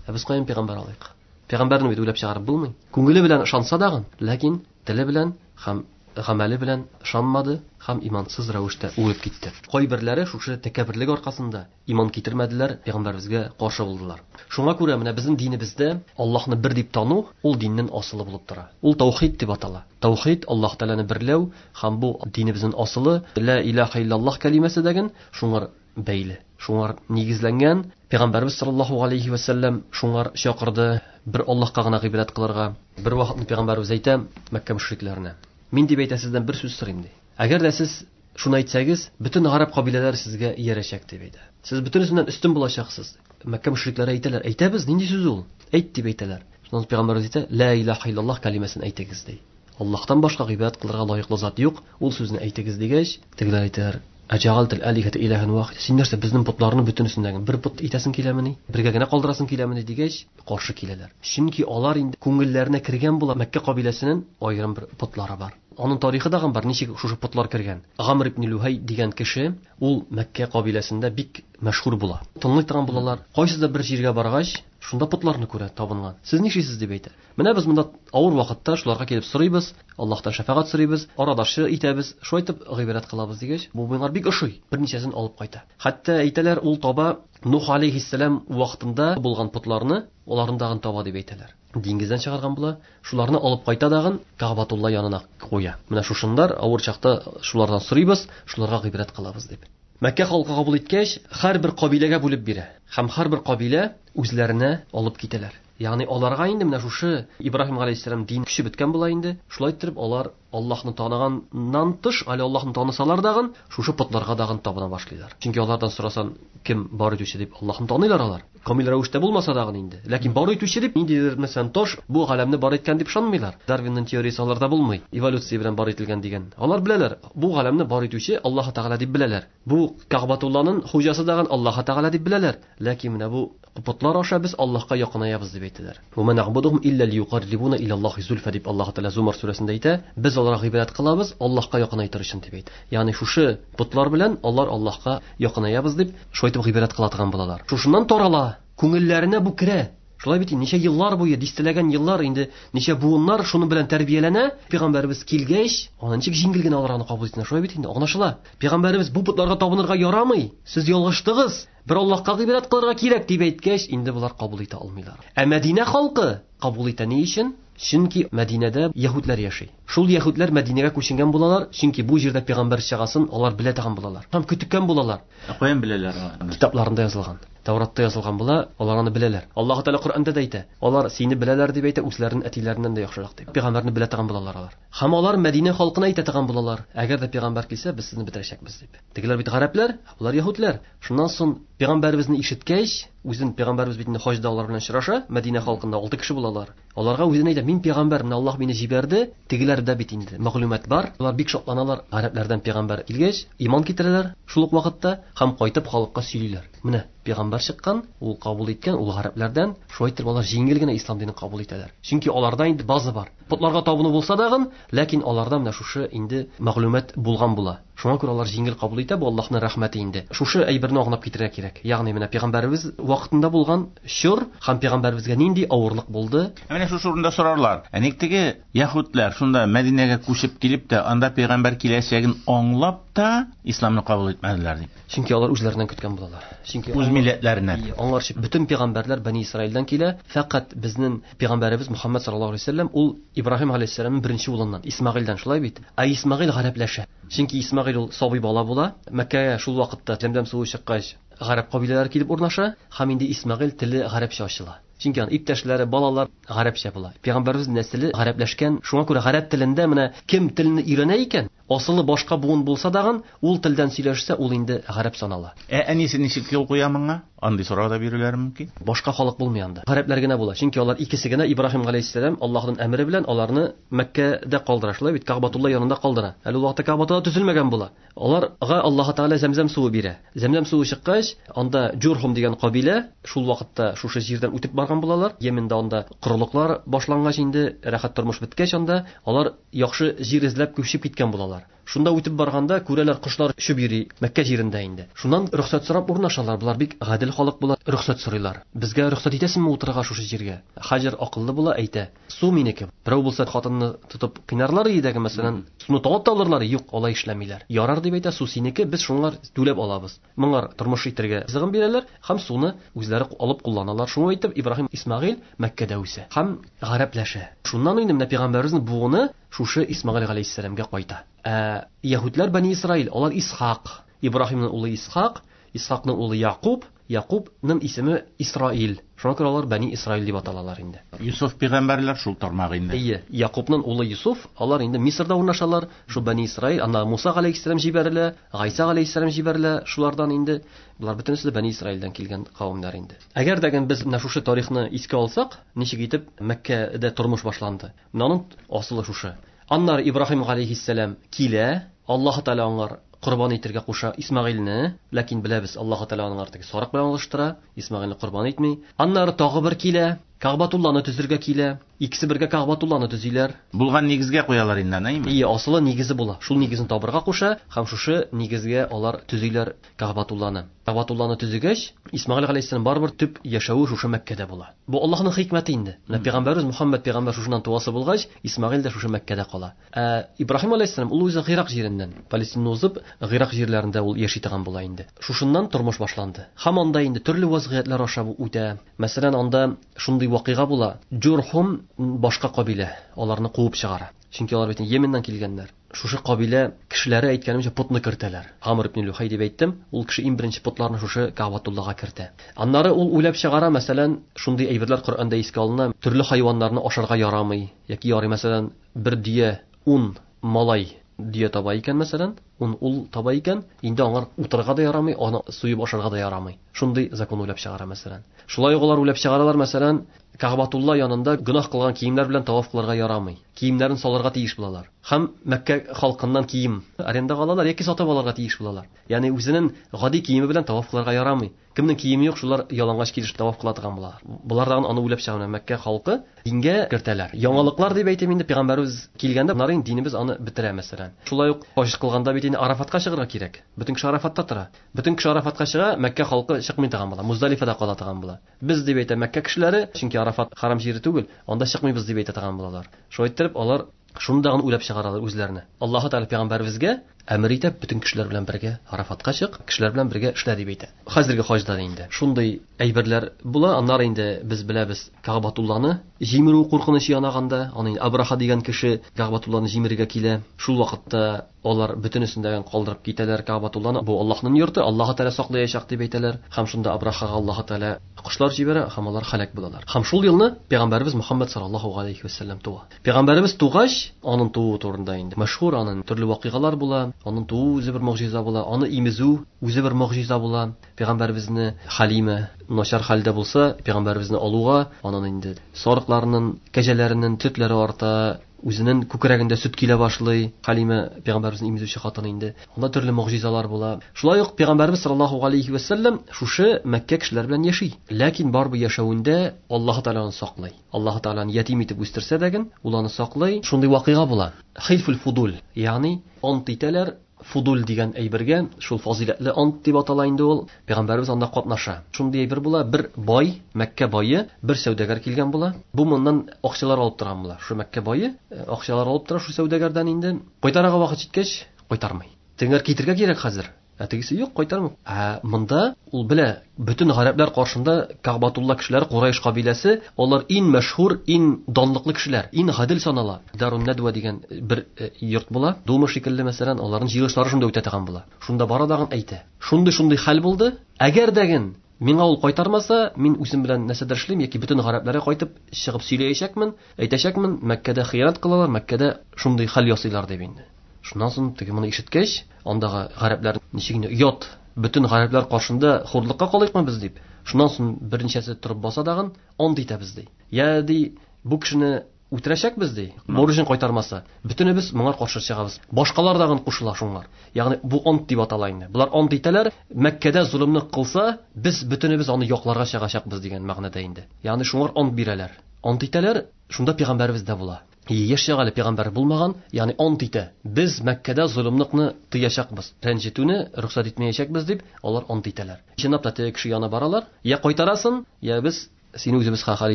Ә без каян пәйгамбәр алыйк? Пәйгамбәрне бит уйлап чыгарып булмый. Күңеле белән ышанса дагын, ләкин теле белән һәм гамәле белән ышанмады һәм имансыз рәвештә үлеп китте. Кайберләре шушы тәкәбберлек аркасында иман китермәделәр, пәйгамбәребезгә каршы булдылар. Шуңа күрә менә безнең динебездә Аллаһны бер дип тану ул диннең асылы булып тора. Ул таухид дип атала. Таухид Аллаһ Тәгаләне берләү һәм бу динебезнең асылы ла илаһа иллаллаһ кәлимәсе дигән шуңар бәйле. Шуңар нигезләнгән. Пәйгамбәребез саллаллаһу алейхи ва саллям шуңар чакырды бер Аллаһка гына гыйбадәт кылырга. Бер вакытны пәйгамбәребез әйтә Мәккә мөшрикләренә: "Мин дип әйтә сездән бер сүз сорыйм" ди. Әгәр дә сез шуны әйтсәгез, бөтен гарәп кабиләләре сезгә иярәчәк дип әйтә. Сез бөтенесеннән өстен булачаксыз. Мәккә мөшрикләре әйтәләр: "Әйтәбез, нинди сүз ул? Әйт" дип әйтәләр. Шуннан пәйгамбәребез әйтә: "Ла илаһа иллаллаһ кәлимәсен әйтегез" ди. Аллаһтан башка гыйбадәт кылырга лаеклы зат юк, ул сүзне әйтегез дигәч, тегеләр әйтәләр: "Әҗәгалтел алихата илаһан вахид. Син нәрсә безнең потларны бөтенесендәге бер пот итәсең киләмени? Бергә генә калдырасың киләмени?" дигәч, каршы киләләр. Чөнки алар инде күңелләренә кергән була. Мәккә кабиләсенең аерым бер потлары бар. Аның тарихы да бар, ничек шушы потлар кергән. Гамр ибн Лухай дигән кеше, ул Мәккә кабиләсендә бик мәшһүр була. Тыңлый торган булалар. Кайсыда бер җиргә баргач, шунда потларны күрә, табынган. Сез нишлисез дип әйтә. Менә без монда авыр вакытта шуларга килеп сорыйбыз, Аллаһтан шәфәгать сорыйбыз, арадашчы итәбез, шулай итеп гыйбадәт кылабыз дигәч, бу миңа бик ошый. Берничәсен алып кайта. Хәтта әйтәләр, ул таба Нух алейхиссалам вакытында булган потларны, аларны дагын таба дип әйтәләр. Диңгездән чыгарган була, шуларны алып кайта дагын Кәгъбатулла янына куя. Менә шушындар авыр чакта шулардан сорыйбыз, шуларга гыйбадәт кылабыз дип. Мәккә халкы кабул иткәч, һәрбер кабиләгә бүлеп бирә. Һәм һәрбер кабилә үзләренә алып китәләр. Ягъни аларга инде менә шушы Ибраһим алейхиссалам дин көче беткән була инде. Шулай итеп алар Аллаһны таныганнан тыш, әле Аллаһны танысалар дагын, шушы потларга дагын табына башлыйлар. Чөнки алардан сорасан, кем бар итүче дип Аллаһны таныйлар алар. Камил рәвештә булмаса дагын инде. Ләкин бар итүче дип ниндидер мәсәлән таш бу галәмне бар иткән дип ышанмыйлар. Дарвинның теориясе аларда булмый. Эволюция белән бар ителгән дигән. Алар беләләр, бу галәмне бар итүче Аллаһ Тәгалә дип беләләр. Бу Кәгъбатулланың хуҗасы дагын Аллаһ Тәгалә дип беләләр. Ләкин менә бу потлар аша без Аллаһка якынаябыз дип әйтәләр. Ва ма нa'будуһум илля лиюқаррибуна иля Аллаһи зульфа дип Аллаһ Тәгалә Зумар сүрәсендә әйтә. Без аларга гыйбадәт кылабыз, Аллаһка якынайтыр өчен дип әйтә. Ягъни шушы потлар белән алар Аллаһка якынаябыз дип, шулай итеп гыйбадәт кыла торган булалар. Шушыннан тарала, күңелләренә бу керә. Шулай бит, ничә еллар буе, дистәләгән еллар инде, ничә буыннар шуның белән тәрбияләнә. Пәйгамбәребез килгәч, аны ничек җиңел генә алар аны кабул итә. Шулай бит инде, аңлашыла. Пәйгамбәребез бу потларга табынырга ярамый, сез ялгыштыгыз, бер Аллаһка гыйбадәт кылырга кирәк дип әйткәч, инде булар кабул итә алмыйлар. Ә Мәдинә халкы кабул итә ни өчен? Чөнки Мәдинәдә яһүдләр яши. Шул яһүдләр Мәдинәгә күченгән булалар, чөнки бу җирдә пәйгамбәр чыгасын алар белә торган булалар. Һәм көткән булалар. Каян беләләр аларны? Китапларында язылган. Тәүратта язылган була, алар аны беләләр. Аллаһ Тәгалә Коръәндә дә әйтә. Алар сине беләләр дип әйтә, үзләренең әтиләреннән дә яхшырак дип. Пәйгамбәрне белә торган булалар алар. Һәм алар Мәдинә халкына әйтә торган булалар. Әгәр дә пәйгамбәр килсә, без сезне бетерәчәкбез дип. Тегеләр бит гарәпләр, булар яһүдләр. Шуннан соң пәйгамбәребезне ишеткәч, үзен пәйгамбәребез бит инде хаҗда алар белән очраша, Мәдинә халкында алты кеше булалар. Аларга үзен әйтә, мин пәйгамбәр, менә Аллаһ мине җибәрде. Тегеләрдә бит инде мәгълүмат бар. Алар бик шатланалар. Гарәпләрдән пәйгамбәр килгәч, иман китерәләр шул ук вакытта һәм кайтып халыкка сөйлиләр. Менә пәйгамбәр чыккан, ул кабул иткән, ул гарәпләрдән. Шулай итеп алар җиңел генә ислам динен кабул итәләр. Чөнки аларда инде база бар. Потларга табыну булса дагын, ләкин аларда менә шушы инде мәгълүмат булган була. Шуңа күрә алар җиңел кабул итә, бу Аллаһның рәхмәте инде. Шушы әйберне аңлап китерергә кирәк. Ягъни менә пәйгамбәребез вакытында булган чор һәм пәйгамбәребезгә нинди авырлык булды? Менә шушы урында сорарлар. Ә ник теге яһүдләр шунда Мәдинәгә күчеп килеп тә, анда пәйгамбәр киләчәген аңлап та исламны кабул итмәделәр дип. Чөнки алар үзләреннән көткән булалар. Чөнки үз милләтләреннән. Аңларчы, бөтен пәйгамбәрләр Бани Исраилдән килә, фәкать безнең пәйгамбәребез Мухаммад саллаллаһу алейһи ва сәлләм ул Ибраһим алейһиссәламның беренче улыннан, Исмагыйльдән, шулай бит. Ә Исмагыйль гарәпләшә. Чөнки Исмагыйль ул сабый бала була. Мәккәгә шул вакытта Зәмзәм суы чыккач, гарәп кабиләләре килеп урнаша, һәм инде Исмагыйль теле гарәпчә ачыла. Чөнки аның иптәшләре, балалар гарәпчә була. Пәйгамбәребез нәселе гарәпләшкән. Шуңа күрә гарәп телендә менә кем телне өйрәнә икән, асылы башка буын булса дагын, ул телдән сөйләшсә, ул инде гарәп санала. Ә әнисе ничек юл куя моңа? Андый сорау да бирүләре мөмкин. Башка халык булмый анда. Гарәпләр генә була. Чөнки алар икесе генә Ибраһим галәйһиссәлам Аллаһның әмере белән аларны Мәккәдә калдыра. Шулай бит, Кәгъбәтулла янында калдыра. Әле ул вакытта Кәгъбәтулла төзелмәгән була. Аларга Аллаһ Тәгалә Зәмзәм суы бирә. Зәмзәм суы чыккач, анда Җурхум дигән кабилә шул вакытта шушы җирдән үтеп барган булалар. Йемендә анда корылыклар башлангач инде, рәхәт тормыш беткәч анда алар яхшы җир эзләп күчеп киткән булалар. Шунда үтеп барганда күрәләр кошлар очып йөри Мәккә җирендә инде. Шуннан рөхсәт сорап урнашалар. Болар бик гадел халык була, рөхсәт сорыйлар. Безгә рөхсәт итәсеңме утырырга шушы җиргә? Хаҗир акыллы була, әйтә: "Су минеке. Берәү булса хатынны тотып кыйнарлар иде, мәсәлән, суны талап та алырлар. Юк, алай эшләмиләр. Ярар дип әйтә, су синеке, без шуңар түләп алабыз." Моңар тормыш итәргә ризыгын бирәләр һәм суны үзләре алып кулланалар. Шуңа әйтеп Ибраһим Исмагыйл Мәккәдә үсә һәм гарәпләшә. Шуннан инде менә пәйгамбәребезнең буыны шушы Исмагыйл галәйһиссәламгә кайта. Ә яһүдләр Бани Исраил, алар Исхак, Ибраһимның улы Исхак, Исхакның улы Якуб, Якубның исеме Исраил. Шуңа күрә алар Бани Исраил дип аталалар инде. Юсуф пәйгамбәрләр шул тармак инде. Әйе, Якубның улы Юсуф, алар инде Мисырда урнашалар. Шул Бани Исраил, анда Муса галәйһиссәлам җибәрелә, Гайса галәйһиссәлам җибәрелә, шулардан инде булар бөтенесе дә Бани Исраилдән килгән кавемнәр инде. Әгәр дә без менә шушы тарихны искә алсак, ничек итеп Мәккәдә тормыш башланды. Менә аның асылы шушы. Аннары Ибраһим галәйһиссәлам килә, Аллаһ Тәгалә аңар корбан итәргә куша Исмагыйльне, ләкин беләбез, Аллаһ Тәгалә аңар теге сарык белән алыштыра, Исмагыйльне корбан итми. Аннары тагы бер килә, Кәгъбәтулланы төзергә килә. Икесе бергә Кәгъбәтулланы төзиләр. Булган нигезгә куялар инде, әйме? Ие, асылы нигезе була. Шул нигезен табырга куша һәм шушы нигезгә алар төзиләр Кәгъбәтулланы. Кәгъбәтулланы төзегәч, Исмагыйл галәйһиссәлам барыбер төп яшәве шушы Мәккәдә була. Бу Аллаһның хикмәте инде. Менә пәйгамбәребез Мухаммад пәйгамбәр шушыннан туасы булгач, Исмагыйл да шушы Мәккәдә кала. Ә Ибраһим галәйһиссәлам ул үзе Гыйрак җиреннән, Палестинаны узып, Гыйрак җирләрендә ул яши торган була инде. Шушыннан тормыш башланды. Һәм анда инде төрле вазгыятьләр аша үтә. Мәсәлән, анда шундый вакыйга була. Җурхум башка кабилә аларны куып чыгара. Чөнки алар бит Йеменнән килгәннәр. Шушы кабилә кешеләре әйткәнемчә потны кертәләр. Гамр ибн Лухай дип әйттем, ул кеше иң беренче потларны шушы Кәгъбәтуллага кертә. Аннары ул уйлап чыгара, мәсәлән, шундый әйберләр Коръәндә искә алына, төрле хайваннарны ашарга ярамый яки ярый, мәсәлән, бер дөя ун малай дөя таба икән, мәсәлән, ун ул таба икән, инде аңар утырырга да ярамый, аны суеп ашарга да ярамый. Шундый закон уйлап чыгара, мәсәлән. Шулай ук алар уйлап чыгаралар, мәсәлән, Кәгъбәтулла янында гөнаһ кылган киемнәр белән таваф кылырга ярамый. Киемнәрен салырга тиеш булалар. Һәм Мәккә халкыннан кием арендага алалар яки сатып алырга тиеш булалар. Ягъни үзенең гади киеме белән таваф кылырга ярамый. Кемнең киеме юк, шулар ялангач килеш таваф кыла торган булалар. Булардан аны уйлап чыгара Мәккә халкы дингә кертәләр. Яңалыклар дип әйтәм инде, пәйгамбәребез килгәндә, болар инде динебез аны бетерә, мәсәлән. Шулай ук хаҗ кылганда бит инде Арафатка чыгарга кирәк. Бөтен кеше Арафатта тора. Бөтен кеше Арафатка чыга, Мәккә халкы чыкмый торган була. Муздалифада кала торган була. Без дип әйтә Мәккә кешеләре, чөнки Арафат харам җире түгел, анда чыкмыйбыз дип әйтә торган булалар. Шулай иттереп алар шундагын уйлап чыгаралар үзләренә. Аллаһ Тәгалә пәйгамбәребезгә әмер итә, бөтен кешеләр белән бергә Арафатка чык, кешеләр белән бергә эшлә дип әйтә. Хәзерге хаҗда инде шундый әйберләр була. Аннары инде без беләбез Кәгъбәтулланы җимерү куркынычы янаганда, аны Абраха дигән кеше Кәгъбәтулланы җимерергә килә. Шул вакытта алар бөтенесен калдырып китәләр Кәгъбәтулланы. Бу Аллаһның йорты, Аллаһ Тәгалә саклаячак дип әйтәләр. Һәм шунда Абрахага Аллаһ Тәгалә кошлар җибәрә һәм алар һәлак булалар. Һәм шул елны пәйгамбәребез Мухаммад саллаллаһу алейхи ва саллям туа. Пәйгамбәребез тугач, аның тууы турында инде мәшһүр, аның төрле вакыйгалар була, аның тууы үзе бер могҗиза була, аны имезү үзе бер могҗиза була. Пәйгамбәребезне Халима начар хәлдә булса, пәйгамбәребезне алуга, аның инде сарыкларының, кәҗәләренең сөтләре арта, үзенең күкрәгендә сөт килә башлый. Халима пәйгамбәребезне имезүче хатын инде. Анда төрле могҗизалар була. Шулай ук пәйгамбәребез саллаллаһу алейхи ва саллям шушы Мәккә кешеләре белән яши. Ләкин барбы яшәвендә Аллаһ Тәгалә аны саклый. Аллаһ Тәгалә аны ятим итеп үстерсә дә, ул аны саклый. Шундый вакыйга була. Хилфул фудул, ягъни ант итәләр. Фудул дигән әйбергә, шул фазиләтле ант дип атала инде ул. Пәйгамбәребез анда катнаша. Шундый әйбер була, бер бай, Мәккә бае, бер сәүдәгәр килгән була. Бу моннан акчалар алып торган була. Шу Мәккә бае акчалар алып тора шу сәүдәгәрдән инде. Кайтарырга вакыт җиткәч, кайтармый. Тегеләр китергә кирәк хәзер. Ә тегесе юк, кайтармый. Ә монда ул белә, бөтен гарәпләр каршында Кәгъбәтулла кешеләре, Курайш кабиләсе, алар иң мәшһүр, иң данлыклы кешеләр, иң гадел санала. Дарун Надва дигән бер йорт була. Дума шикелле, мәсәлән, аларның җыелышлары шунда үтә торган була. Шунда бара дагын әйтә. Шундый-шундый хәл булды. Әгәр дәген миңа ул кайтармаса, мин үзем белән нәрсәдер эшлим яки бөтен гарәпләргә кайтып чыгып сөйләячәкмен, әйтәчәкмен, Мәккәдә хыянәт кылалар, Мәккәдә шундый хәл ясыйлар дип инде. Шуннан соң теге моны ишеткәч, андагы гарәпләр ничек инде оят, бөтен гарәпләр каршында хурлыкка калыйкмы без дип. Шуннан соң берничәсе торып баса дагын, ант итәбез ди. Я ди, бу кешене үтерәчәкбез ди. Бурычын кайтармаса, бөтенебез моңа каршы чыгабыз. Башкалар дагын кушыла шуңар. Ягъни бу ант дип атала инде. Булар ант итәләр, Мәккәдә золымны кылса, без бөтенебез аны якларга чыгачакбыз дигән мәгънәдә инде. Ягъни шуңар ант бирәләр. Ант итәләр, шунда пәйгамбәребез дә була. Яшь чагы әле пәйгамбәр булмаган, ягъни ант итә. Без Мәккәдә золымлыкны тыячакбыз, рәнҗетүне рөхсәт итмәячәкбез дип, алар ант итәләр. Чынлап та теге кеше янына баралар, я кайтарасын, я без сине үзебез хәл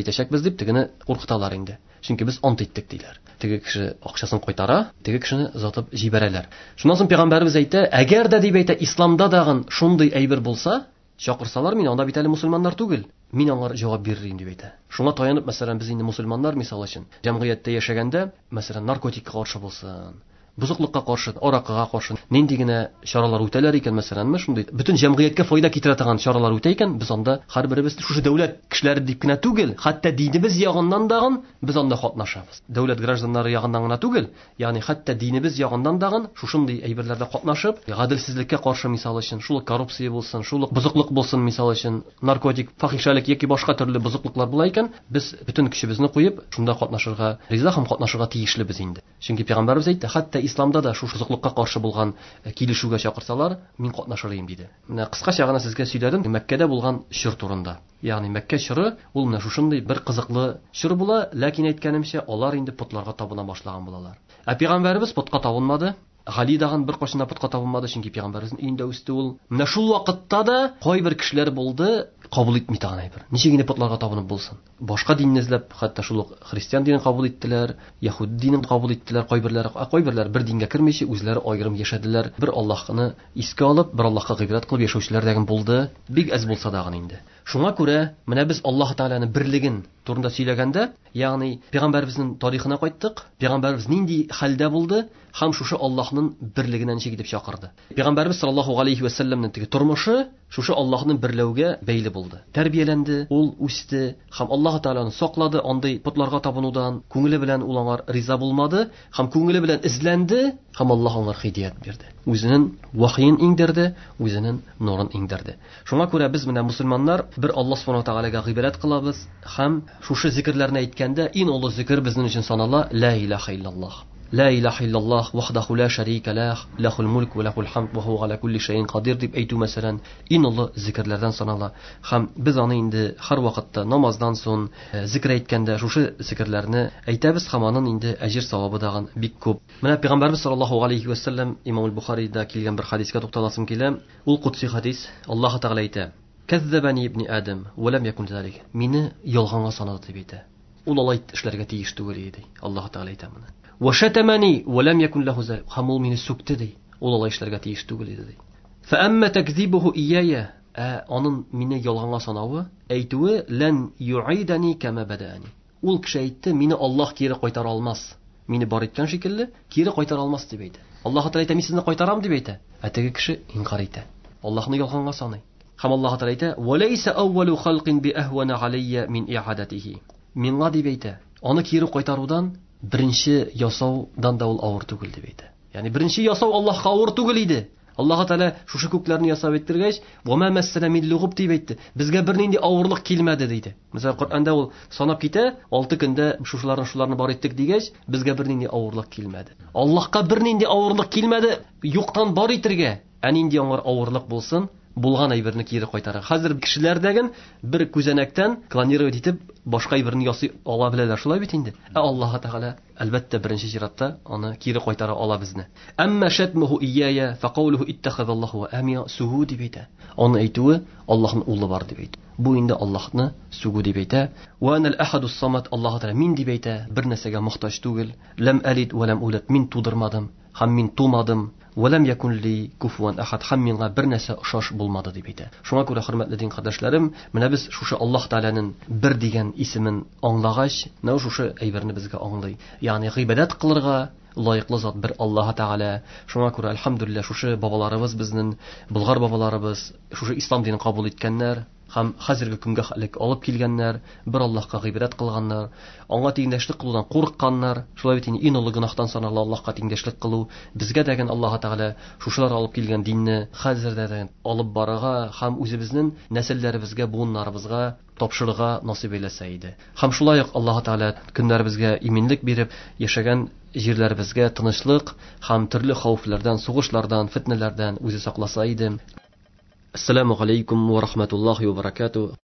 итәчәкбез дип тегене куркыталар инде. Чөнки без ант иттек диләр. Теге кеше акчасын кайтара, теге кешене озатып җибәрәләр. Шуннан соң пәйгамбәребез әйтә, әгәр дә дип әйтә, исламда дагын шундый әйбер булса, чакырсалар мин анда бит әле мусульманнар түгел, мин аңар җавап бирер дип әйтә. Шуңа таянып, мәсәлән, без инде мусульманнар мисал өчен җәмгыятьтә яшәгәндә, мәсәлән, наркотикка каршы булсын, бозыклыкка каршы, аракыга каршы нинди генә чаралар үтәләр икән, мәсәләнме, шундый бөтен җәмгыятькә файда китерә торган чаралар үтә икән, без анда һәрберебез шушы дәүләт кешеләре дип кенә түгел, хәтта динебез ягыннан дагын без анда катнашабыз. Дәүләт гражданнары ягыннан гына түгел, ягъни хәтта динебез ягыннан дагын шушындый әйберләрдә катнашып, гаделсезлеккә каршы мисал өчен, шул коррупция булсын, шул бозыклык булсын мисал өчен, наркотик, фахишәлек яки башка төрле бозыклыклар була икән, без бөтен көчебезне куеп, шунда катнашырга риза һәм катнашырга тиешлебез инде. Чөнки пәйгамбәребез әйтте, хәтта исламда да шушы бозыклыкка каршы булган килешүгә чакырсалар, мин катнашыр идем диде. Менә кыскача гына сезгә сөйләдем Мәккәдә булган чор турында. Ягъни Мәккә чоры ул менә шушындый бер кызыклы чор була, ләкин әйткәнемчә, алар инде потларга табына башлаган булалар. Ә пәйгамбәребез потка табынмады. Гали дагын бер кашына потка табынмады, чөнки пәйгамбәребезнең өендә үсте ул. Менә шул вакытта да кайбер кешеләр булды, кабул итми торган әйбер. Ничек инде потларга табынып булсын? Башка динне эзләп, хәтта шул ук христиан динен кабул иттеләр, яһүд динен кабул иттеләр, кайберләре, ә кайберләр бер дингә кермичә үзләре аерым яшәделәр. Бер Аллаһны искә алып, бер Аллаһка гыйбадәт кылып яшәүчеләр дә булды. Бик әз булса да инде. Шуңа күрә менә без Аллаһ Тәгаләнең берлеген турында сөйләгәндә, ягъни пәйгамбәребезнең тарихына кайттык. Пәйгамбәребез нинди хәлдә булды һәм шушы Аллаһның берлегенә ничек итеп чакырды. Пәйгамбәребез саллаллаһу алейхи ва сәлләмнең теге тормышы шушы Аллаһның берләүгә бәйле булды. Тәрбияләнде, ул үсте һәм Аллаһ Тәгаләне саклады андый потларга табынудан, күңеле белән ул аңар риза булмады һәм күңеле белән эзләнде һәм Аллаһ аңар һидәят бирде. Үзенең вахиен иңдерде, үзенең нурын иңдерде. Шуңа күрә без менә мусульманнар бер Аллаһ субхана ва тәгаләгә гыйбадәт кылабыз һәм шушы зикерләрне әйткәндә иң олы зикер безнең өчен санала ла илаһа иллаллаһ. Ла илаһа иллаллаһ вахдаху ла шарика лах, лахул мулк ва лахул хамд ва хуа аля кулли шайин кадир дип әйтү мәсәлән иң олы зикерләрдән санала. Һәм без аны инде һәр вакытта намаздан соң зикер әйткәндә шушы зикерләрне әйтәбез һәм аның инде әҗер савабы дагын бик күп. Менә пәйгамбәрбез саллаллаһу алейхи ва сәлләм Имам аль-Бухарида килгән бер хадискә тукталасым килә. Ул кудси хадис. Аллаһ Тәгалә әйтә: "Кәззәбәни ибни Адам ва лам якун залик." Мине ялганга санады дип әйтә. Ул алай эшләргә тиеш түгел иде. Аллаһ Тәгалә әйтә моны. Ва шатамани ва лам якун лаху залик. Һәм ул мине сүкте ди. Ул алай эшләргә тиеш түгел иде ди. Фа амма такзибуху ияя, ә аның мине ялганга санавы, әйтүе лан юидани кама бадаани. Ул кеше әйтте, мине Аллаһ кире кайтара алмас. Мине бар иткән шикелле кире кайтара алмас дип әйтә. Аллаһ Тәгалә әйтә, мин сезне кайтарам дип әйтә. Ә теге кеше инкар итә. Аллаһны ялганга саный. Һәм Аллаһ Тәгалә әйтә: "Ва лайса аввалу халкин би ахвана алейя мин иадатихи." Миңа дип әйтә, аны кире кайтарудан беренче ясаудан да ул авыр түгел дип әйтә. Ягъни беренче ясау Аллаһка авыр түгел иде. Аллаһ Тәгалә шушы күкләрне ясап иттергәч, "Ва ма массана мин лугуб" дип әйтте. Безгә бернинди авырлык килмәде диде. Мәсәлән, Коръәндә ул санап китә, алты көндә шушыларны шуларны бар иттек дигәч, безгә бернинди авырлык килмәде. Аллаһка бернинди авырлык килмәде, юктан бар итергә. Ә нинди аңар авырлык булсын, булган әйберне кире кайтара. Хәзер кешеләрдәген бер күзәнәктән клонировать итеп башка әйберне ясый ала беләләр, шулай бит инде. Ә Аллаһ Тәгалә әлбәттә беренче чиратта аны кире кайтара ала безне. Әмма шатмуху ияя фақаулуху иттахазаллаху ва амия сугу дип әйтә. Аны әйтүе Аллаһның улы бар дип әйтә. Бу инде Аллаһны сүгү дип әйтә. Ва анал ахадус самад, Аллаһ Тәгалә мин дип әйтә, бер нәрсәгә мохтаҗ түгел. Лам алид ва лам улад, мин тудырмадым һәм мин тумадым. Ва лам якун ли куфуан ахад, һәм миңа бер нәрсә охшаш булмады дип әйтә. Шуңа күрә хөрмәтле дин кардәшләрем, менә без шушы Аллаһ Тәгаләнең бер дигән исемен аңлагач, менә шушы әйберне безгә аңлый. Ягъни гыйбадәт кылырга лаеклы зат бер Аллаһ Тәгалә. Шуңа күрә әлхәмдүлилләһ шушы бабаларыбыз безнең, болгар бабаларыбыз шушы ислам динен кабул иткәннәр. һәм хәзерге көнгә элек алып килгәннәр, бер Аллаһка гыйбадәт кылганнар, аңа тиңдәшлек кылудан курыкканнар. Шулай бит инде иң олы гөнаһтан санала Аллаһка тиңдәшлек кылу. Безгә дәген Аллаһ Тәгалә шушылар алып килгән динне хәзердә дә алып барырга һәм үзебезнең нәселләребезгә, буыннарыбызга тапшырырга насыйп әйләсә иде. Һәм шулай ук Аллаһ Тәгалә көннәребезгә иминлек биреп, яшәгән җирләребезгә тынычлык һәм төрле хәвефләрдән, сугышлардан, фитнәләрдән үзе сакласа иде. Ассаламу алейкум ва рахматуллахи ва баракатуh.